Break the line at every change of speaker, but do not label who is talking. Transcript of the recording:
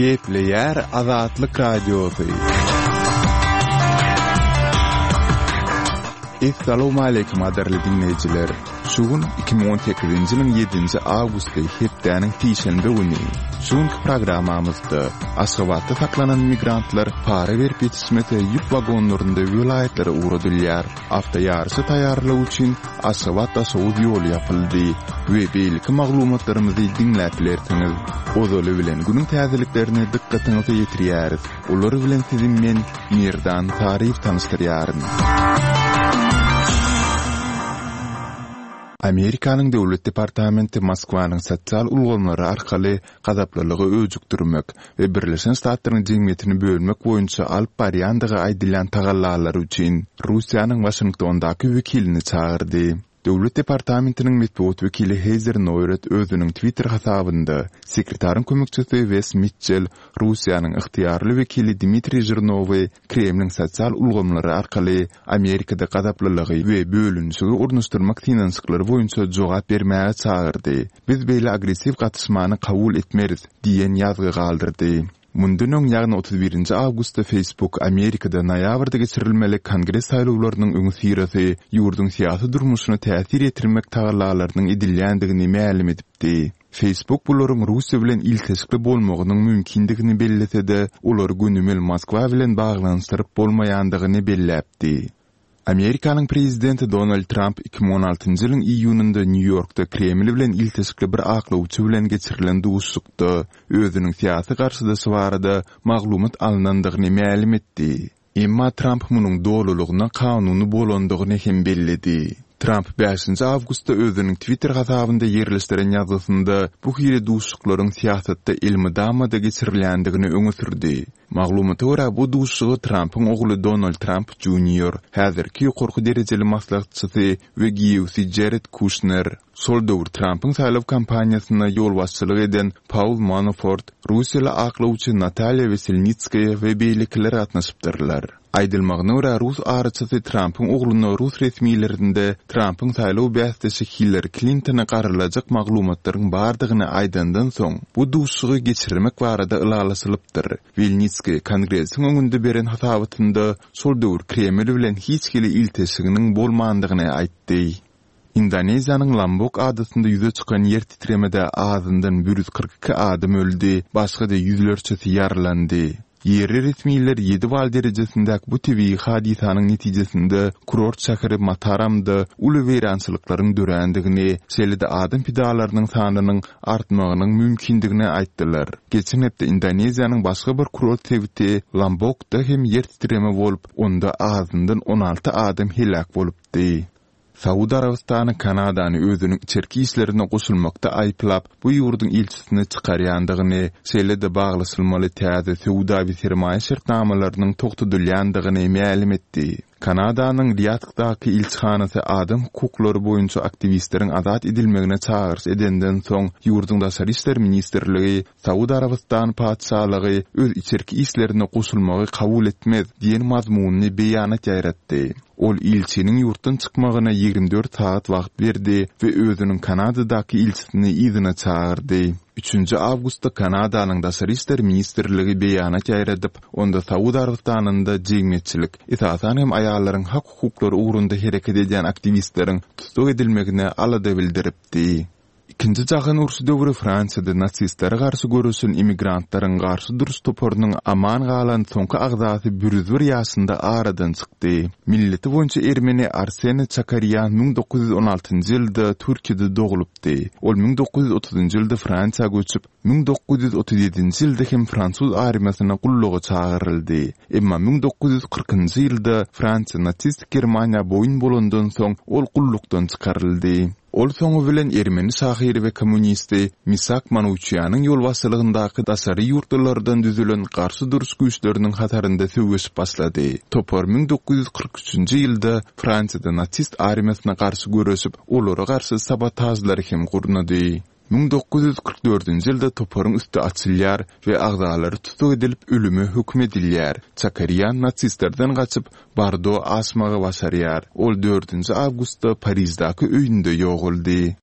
Gepleýär Azatlyk Radiosy. Essalawmaleýkim gadyrly diňleýjiler! Şu gün 2018-nji ýylyň ýedinji awgusty, hepdäniň sişenbe güni. Şu günki programmamyzda Aşgabatda saklanan migrantlar para berip ýetişmese ýük wagonlarynda welaýatlara ugradylýar. Awtoýaryşa taýýarlyk üçin Aşgabat-Daşoguz ýoly ýapyldy we beýleki maglumatlarymyzy diňläp bilersiňiz. Ozaly bilen günüň täzeliklerini dykgatyňyza ýetirýäris. Olar bilen sizi men, Merdan Saryýew tanyşdyrýaryn. Amerikanyň Döwlet departamenti Moskwanyň sosial ulgamlary arkaly gazaplylygy öjükdirmek we Birleşen Ştatlaryň jemgyýetini bölmek boýunça alyp barýandygy aýdylýan tagallalary üçin Russiýanyň Waşingtondaky wekilini çagyrdy. Döwlet departamentiniň metbugat wekili Heýzer Noýret özüniň Twitter hasabynda, Sekretaryň kömekçisi Wes Mitçel Russiýanyň ygtyýarly wekili Dmitriý Žirnowy Kremliň sosial ulgamlary arkaly Amerikada gazaplylygy we bölünişigi ornaşdyrmak synanyşyklary boýunça jogap bermäge çagyrdy. Biz beýle agressiw gatyşmany kabul etmeris diýen ýazgy galdyrdy. Mundan öň, ýagny 31 nji awgustda Facebook Amerikada noýabrda geçirilmeli Kongres saýlawlarynyň öňüsyrasy ýurduň syýasy durmuşyna täsir ýetirmek tagallalarynyň edilýändigini mälim edipdi. Facebook bularyň Russiýa bilen ilteşikli bolmagynyň mümkindigini bellese-de, olary gönümel Moskwa bilen baglanyşdyryp bolmaýandygyny belläpdi. Amerikanyň prezidenti Donald Tramp 2016-njy ýylyň iýunynda Nýu-Ýorkda Kreml bilen ilteşikli bir aklawçy bilen geçirilen duşuşykda özüniň syýasy garşydaşy barada maglumat alnandygyny mälim etdi. Emma Tramp munuň dolulygyna kanuny bolandygyny hem belledi. Tramp bäşinji awgustda özüniň Twitter hasabynda ýerleşdiren ýazgysynda bu hili duşuşyklaryň syýasatda elmydama-da geçirilýändigini öňe sürdi. Maglumata görä, bu duşuşyga Trampyň ogly Donald Tramp Junior, häzirki ýokarky derejeli maslahatçysy we giýewsi Jared Kuşner, şol döwür Trampyň saýlaw kampaniýasyna ýolbaşçylyk eden Paul Manafort, russiýaly aklawçy Natalýa Weselnitskaýa we beýlekiler gatnaşypdyrlar. Aýdylmagyna görä, rus araçysy Trampyň ogluna rus resmilerinde Trampyň saýlaw bäsdeşi Hillari Klintona garalajak maglumatlaryň bardygyny aýdandan soň, bu duşuşygy geçirmek barada ylalaşylypdyr. Welnitskiý Kongresiň öňünde beren hasabatynda şol döwür Kreml bilen hiç hili ilteşiginiň bolmandygyny aýtdy. Indoneziýanyň Lombok adasynda ýüze çykan ýer titremede azyndan 142 adam öldi, başga-da ýüzlerçesi ýaralandy. Ýerli resmiler ýedi bal derejesindäki bu tebigy hadysanyň netijesinde kurort şäheri Mataramda uly weýrançylyklaryň dörändigini, şeýle-de adam pidalarynyň sanynyň artmagynyň mümkindigini aýtdylar. Geçen hepde Indoneziýanyň başga bir kurort sebiti Lombokda hem ýer titreme bolup, onda azyndan 16 adam heläk bolupdy. Saud Arabystany Kanadany özüniň içerki işlerine goşulmakda aýyplap, bu ýurduň ilçisini çykarýandygyny, şeýle-de baglaşylmaly täze söwda we sermaýa şertnamalarynyň togtadylýandygyny mälim etdi. Kanadanyň Riýadhdaky ilçihanasy adam hukuklary boýunça aktiwistleriň azat edilmegine çagyryş edenden soň, ýurduň Daşary işler ministrligi Saud Arabystany Patyşalygy öz içerki işlerine goşulmagy kabul etmez diýen mazmunly beýanat ýaýratdy. Ol ilçiniň ýurtdan çykmagyna 24 sagat wagt berdi we özüniň Kanadadaky ilçisini yzyna çagyrdy. Üçünji awgustda Kanadanyň Daşary işler ministrligi beýanat ýaýradyp, onda Saud Arabystanynda jemgyýetçilik, esasan hem aýallaryň hak-hukuklary ugrunda hereket edýän aktiwistleriň tussag edilmegine alada bildiripdi. Ikinji jahan urşy döwri Fransiýada nasistlere garşy göreşen immigrantlaryň garşy duruş toparynyň aman galan soňky agzasy 101 ýaşynda aradan çykdy. Milleti boýunça ermeni Arsene Çakarýan 1916-njy ýylda Türkiýede doglupdy. Ol 1930-njy ýylda Fransiýa göçüp, 1937-nji ýylda hem fransuz armiýasyna gulluga çagyryldy. Emma 1940-njy ýylda Fransiýa nasistik Germaniýa boýun bolandan soň ol gullukdan çykaryldy. Ol soňy bilen ermeni şahyry we kommunisti Misak Manuçýanyň ýolbaşçylygyndaky daşary ýurtlulardan düzülen garşy duruş güýçleriniň hatarynda söweşip başlady. Topar 1943-nji ýylda Fransiýada nasist armiýasyna garşy göreşip, olara garşy sabotažlary hem gurnady. 1944-nji ýylda toparyň üsti açylýar we agzalary tussag edilip ölüme höküm edilýär. Çakarýan nasistlerden gaçyp, Bordo aşmagy başarýar. Ol dördünji awgustda Pariždäki öýünde ýogaldy.